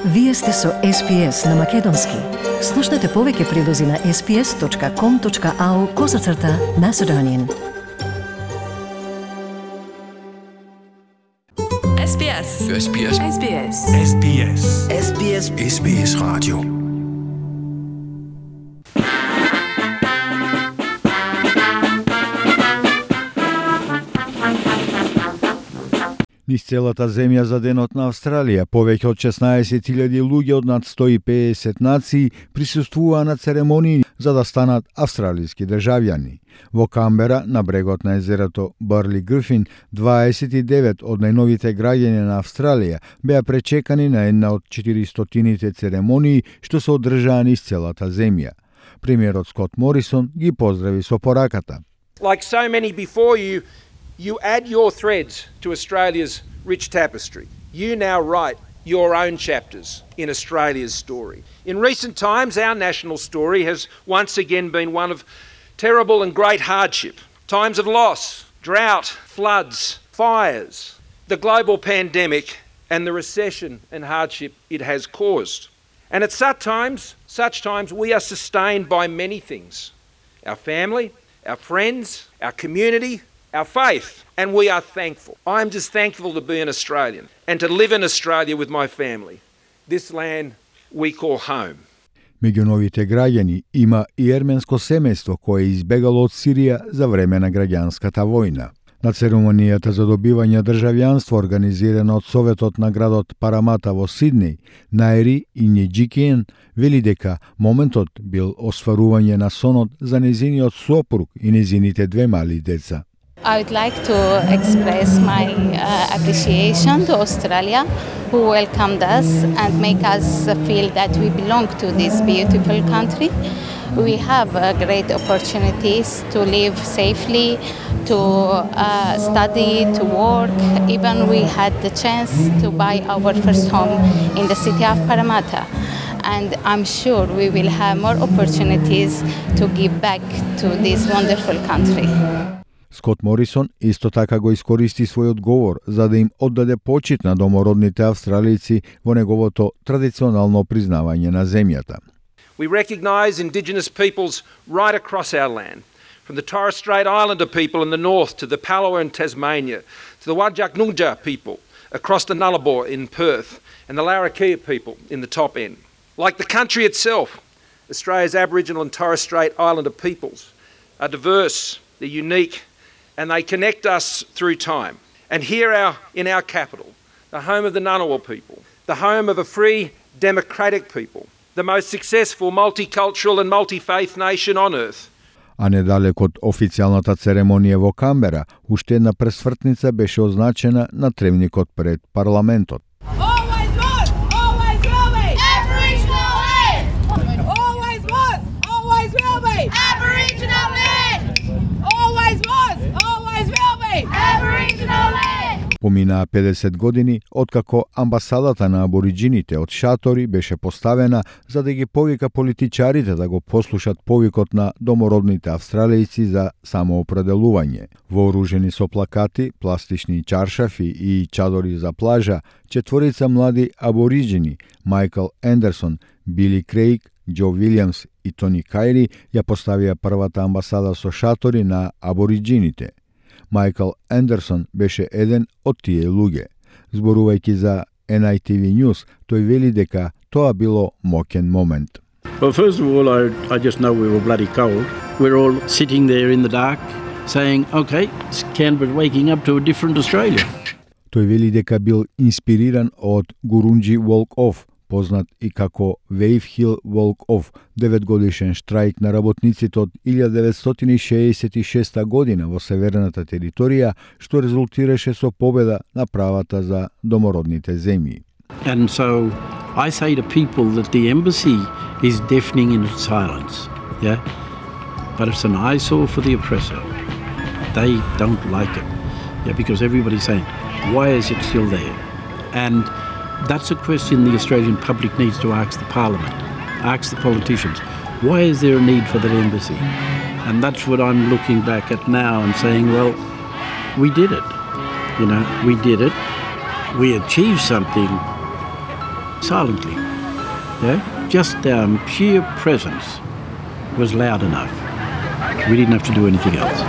Вие сте со SPS на Македонски. Слушнете повеќе прилози на sps.com.au/Macedonian. SBS. SBS. SBS. SBS. SBS. SBS Radio. Низ целата земја за денот на Австралија, повеќе од 16.000 луѓе од над 150 нации присуствуваа на церемонии за да станат австралиски државјани. Во Камбера, на брегот на езерото Барли Грифин, 29 од најновите граѓани на Австралија беа пречекани на една од 400-тините церемонии што се одржаа низ целата земја. Премиерот Скот Морисон ги поздрави со пораката. Like so many before you, you add your threads to Australia's rich tapestry. You now write your own chapters in Australia's story. In recent times, our national story has once again been one of terrible and great hardship. Times of loss, drought, floods, fires, the global pandemic and the recession and hardship it has caused. And at such times, we are sustained by many things. Our family, our friends, our community, our faith, and we are thankful. I'm just thankful to be an Australian and to live in Australia with my family. This land we call home. Меѓу новите граѓани има и ерменско семејство кое избегало од Сирија за време на граѓанската војна. На церемонијата за добивање државјанство организирана од Советот на градот Парамата во Сиднеј, Наери и Неџикиен вели дека моментот бил осварување на сонот за незиниот сопруг и незините две мали деца. I would like to express my appreciation to Australia, who welcomed us and make us feel that we belong to this beautiful country. We have great opportunities to live safely, to study, to work. Even we had the chance to buy our first home in the city of Parramatta. And I'm sure we will have more opportunities to give back to this wonderful country. Скот Морисон исто така го искористи својот говор за да им оддаде почит на домородните австралици во неговото традиционално признавање на земјата. We recognise Indigenous peoples right across our land, from the Torres Strait Islander people in the north to the Palawa in Tasmania, to the Whadjuk Noongar people across the Nullarbor in Perth, and the Larrakia people in the top end. Like the country itself, Australia's Aboriginal and Torres Strait Islander peoples are diverse, they're unique, and they connect us through time. And here in our capital, the home of the Ngunnawal people, the home of a free, democratic people, the most successful multicultural and multi-faith nation on earth. А недалек од официјалната церемонија во Камбера, уште една пресвртница беше означена на тревникот пред парламентот. Always was, always will be. Aboriginal land. Always was, always will be. Aboriginal land. Always was, always will be. Aboriginal land. Поминаа 50 години откако амбасадата на абориџините од шатори беше поставена за да ги повика политичарите да го послушат повикот на домородните австралијци за самоопределување. Вооружени со плакати, пластични чаршафи и чадори за плажа, четворица млади абориџини, Майкл Ендерсон, Били Крейг, Џо Вилјамс и Тони Кајри ја поставија првата амбасада со шатори на абориџините. Майкл Ендерсон беше еден од тие луѓе. Зборувајќи за NITV News, тој вели дека тоа било моќен момент. Well, first of all, I just know we were bloody cold. We're all sitting there in the dark saying, okay, Canberra's waking up to a different Australia. Тој вели дека бил инспириран од Гурунџи Walk-Off, познат и како Wave Hill Walk-Off, 9-годишен штрајк на работниците од 1966 година во северната територија, што резултираше со победа на правата за домородните земји. And so I say to people that the embassy is deafening in its silence, yeah? But it's an eyesore for the oppressor. They don't like it, yeah, because everybody's saying, why is it still there? And that's a question the Australian public needs to ask the Parliament, ask the politicians. Why is there a need for that embassy? And that's what I'm looking back at now and saying, well, we did it. You know, we did it. We achieved something silently. Yeah? Just sheer presence was loud enough. We didn't have to do anything else.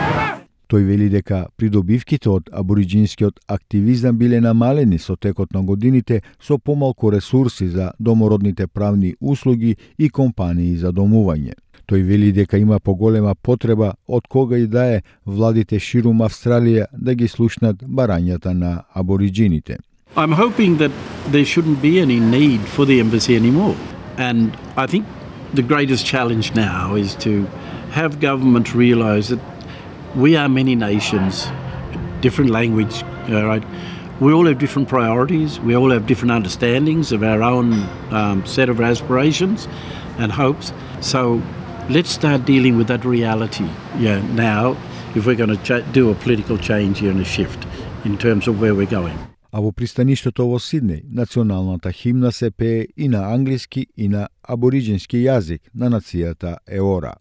Тој вели дека придобивките од абориџинскиот активизам биле намалени со текот на годините со помалку ресурси за домородните правни услуги и компании за домување. Тој вели дека има поголема потреба од кога и да е владите ширум Австралија да ги слушнат барањата на абориџините. I'm hoping that there shouldn't be any need for the embassy anymore. And I think the greatest challenge now is to have government realise that we are many nations, different language, right? We all have different priorities. We all have different understandings of our own set of aspirations and hopes. So let's start dealing with that reality now if we're going to do a political change here and a shift in terms of where we're going. А во пристаништето во Сиднеј, националната химна се пее и на англиски и на абориџински јазик на нацијата Еора.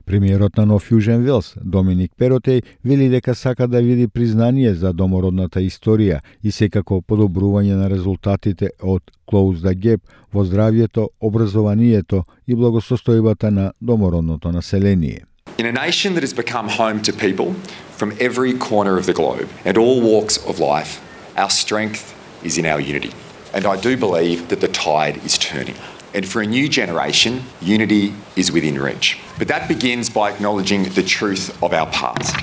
Премиерот на Нов Јужен Велс, Доминик Перотеј, вели дека сака да види признание за домородната историја и секако подобрување на резултатите од Close the Gap во здравјето, образованието и благосостојбата на домородното население. In a nation that has become home to people from every corner of the globe and all walks of life, our strength is in our unity. And I do believe that the tide is turning. And for a new generation, unity is within reach. But that begins by acknowledging the truth of our past,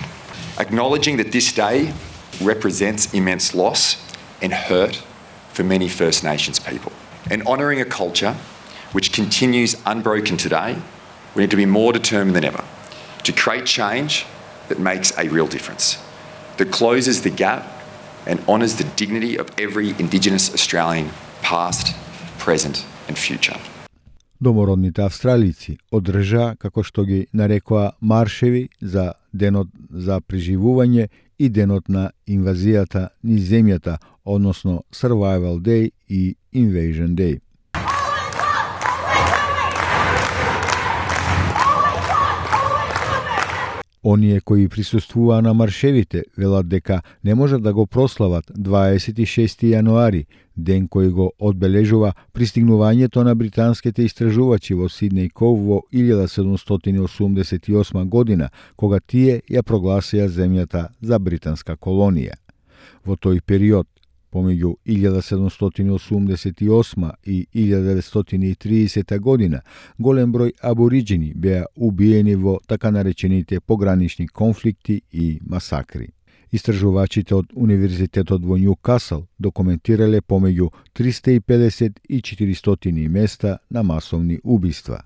acknowledging that this day represents immense loss and hurt for many First Nations people, and honouring a culture which continues unbroken today. We need to be more determined than ever to create change that makes a real difference, that closes the gap and honours the dignity of every Indigenous Australian, past, present and future. Домородните австралици одржаа, како што ги нарекоа, маршеви за денот за преживување и денот на инвазијата низ земјата, односно Survival Day и Invasion Day. Оние кои присуствуваа на маршевите велат дека не можат да го прослават 26 јануари, ден кој го одбележува пристигнувањето на британските истражувачи во Сиднеј Коу во 1788 година, кога тие ја прогласија земјата за британска колонија. Во тој период, помеѓу 1788 и 1930 година, голем број абориџини беа убиени во така наречените погранични конфликти и масакри. Истражувачите од Универзитетот во Њукасл документирале помеѓу 350 и 400 места на масовни убиства.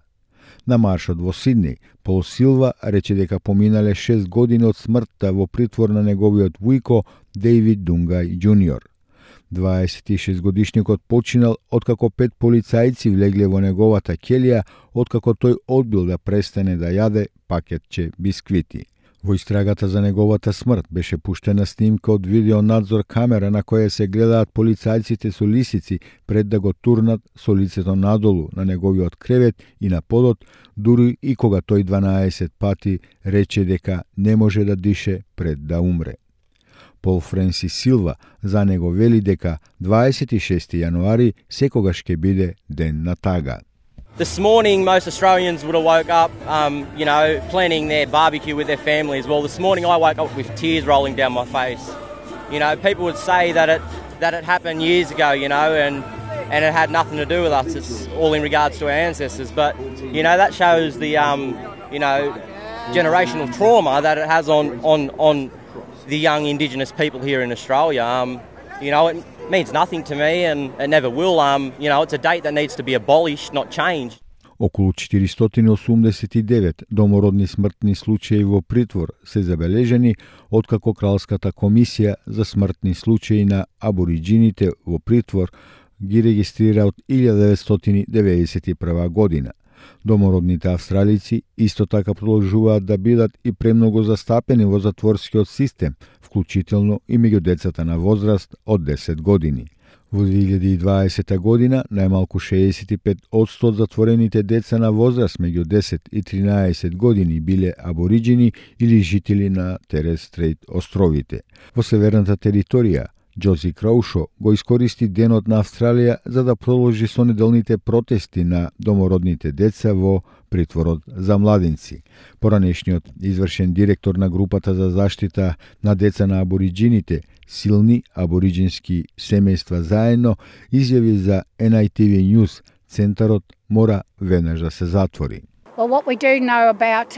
На маршот во Сиднеј, Пол Силва рече дека поминале 6 години од смртта во притвор на неговиот вујко Дейвид Дунгај Џуниор. 26-годишникот починал откако 5 полицајци влегле во неговата ќелија, откако тој одбил да престане да јаде пакетче бисквити. Во истрагата за неговата смрт беше пуштена снимка од видеонадзор камера на која се гледаат полицајците со лисици пред да го турнат со лицето надолу на неговиот кревет и на подот, дури и кога тој 12 пати рече дека не може да дише пред да умре. Пол Френсис Силва за него вели дека 26 јануари секогаш ќе биде ден на тага. This morning, most Australians would have woke up, planning their barbecue with their families. Well, this morning I woke up with tears rolling down my face. People would say that it happened years ago, and it had nothing to do with us. It's all in regards to our ancestors. But, that shows the, generational trauma that it has on the young Indigenous people here in Australia. It means nothing to me and it never will. It's a date that needs to be abolished, not changed. Околу 489 домородни смртни случаи во притвор се забележени откако Кралската комисија за смртни случаи на абориџините во притвор ги регистрира од 1991 година. Домородните австралици исто така продолжуваат да бидат и премногу застапени во затворскиот систем, вклучително и меѓу децата на возраст од 10 години. Во 2020 година најмалку 65% од затворените деца на возраст меѓу 10 и 13 години биле абориџини или жители на Торес Стрейт островите. Во северната територија, Джози Кроушо го искористи Денот на Австралија за да продолжи со неделните протести на домородните деца во притворот за младинци. Поранешниот извршен директор на групата за заштита на деца на абориџините, Силни абориџински семејства заедно, изјави за NITV News, центарот мора веднаш да се затвори. Well, what we do know about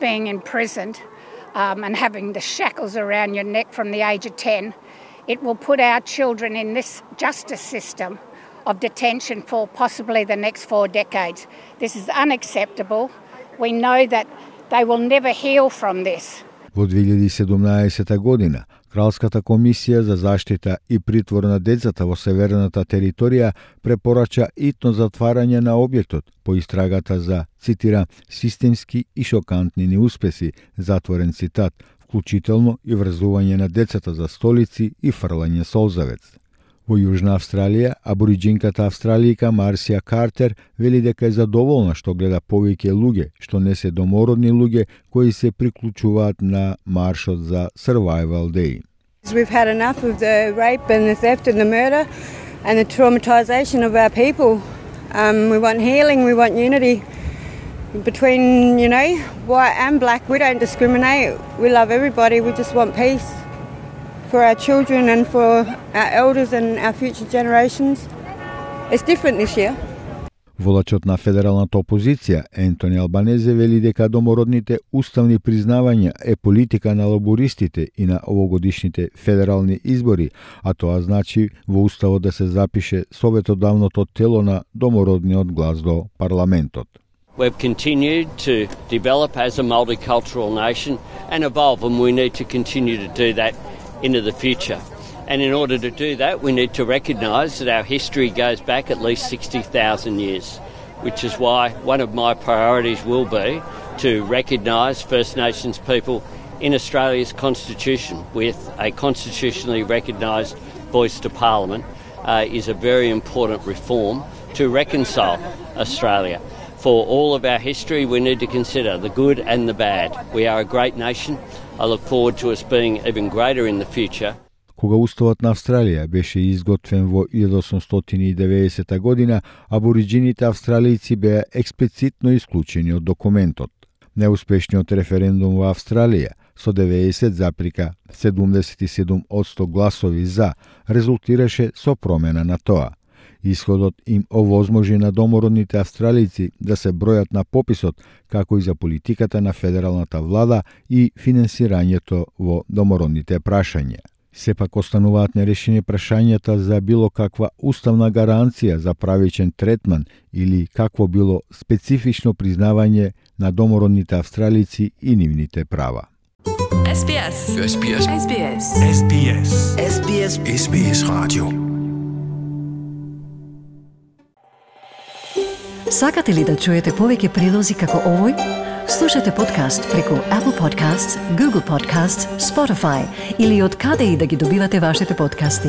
being imprisoned and having the shackles around your neck from the age of 10, it will put our children in this justice system of detention for possibly the next 4 decades. This is unacceptable. We know that they will never heal from this. Во 2017 година, Кралската комисија за заштита и притвор на децата во северната територија препорача итно затварање на објектот по истрагата за, цитира, системски и шокантни неуспеси, затворен цитат, вклучително и врзување на децата за столици и фрлање солзавец. Во Јужна Австралија, абориџинката австралијка Марсија Картер вели дека е задоволна што гледа повеќе луѓе, што не се домородни луѓе, кои се приклучуваат на маршот за Survival Day. We've had enough of the rape and the theft and the murder and the traumatization of our people. We want healing, we want unity between, white and black. We don't discriminate. We love everybody. We just want peace for our children and for our elders and our future generations. It's different this year. Волачот на федералната опозиција, Ентони Албанезе, вели дека домородните уставни признавања е политика на лабористите и на овогодишните федерални избори, а тоа значи во уставот да се запише советодавното тело на домородниот глас до парламентот. We've continued to develop as a multicultural nation and evolve, and we need to continue to do that into the future. And in order to do that, we need to recognise that our history goes back at least 60,000 years, which is why one of my priorities will be to recognise First Nations people in Australia's constitution with a constitutionally recognised voice to Parliament is a very important reform to reconcile Australia. For all of our history, we need to consider the good and the bad. We are a great nation. I look forward to us being even greater in the future. Кога уставот на Австралија беше изготвен во 1890 година, абориџините австралијци беа експлицитно исклучени од документот. Неуспешниот референдум во Австралија со 90,77% гласови за резултираше со промена на тоа. Исходот им овозможи на домородните австралијци да се бројат на пописот, како и за политиката на федералната влада и финансирањето во домородните прашања. Сепак остануваат нерешени прашањата за било каква уставна гаранција за правичен третман или какво било специфично признавање на домородните австралијци и нивните права. SBS. SBS. SBS. SBS. SBS. SBS Radio. Сакате ли да чуете повеќе прилози како овој? Слушате подкаст преку Apple Podcasts, Google Podcasts, Spotify или од каде и да ги добивате вашите подкасти.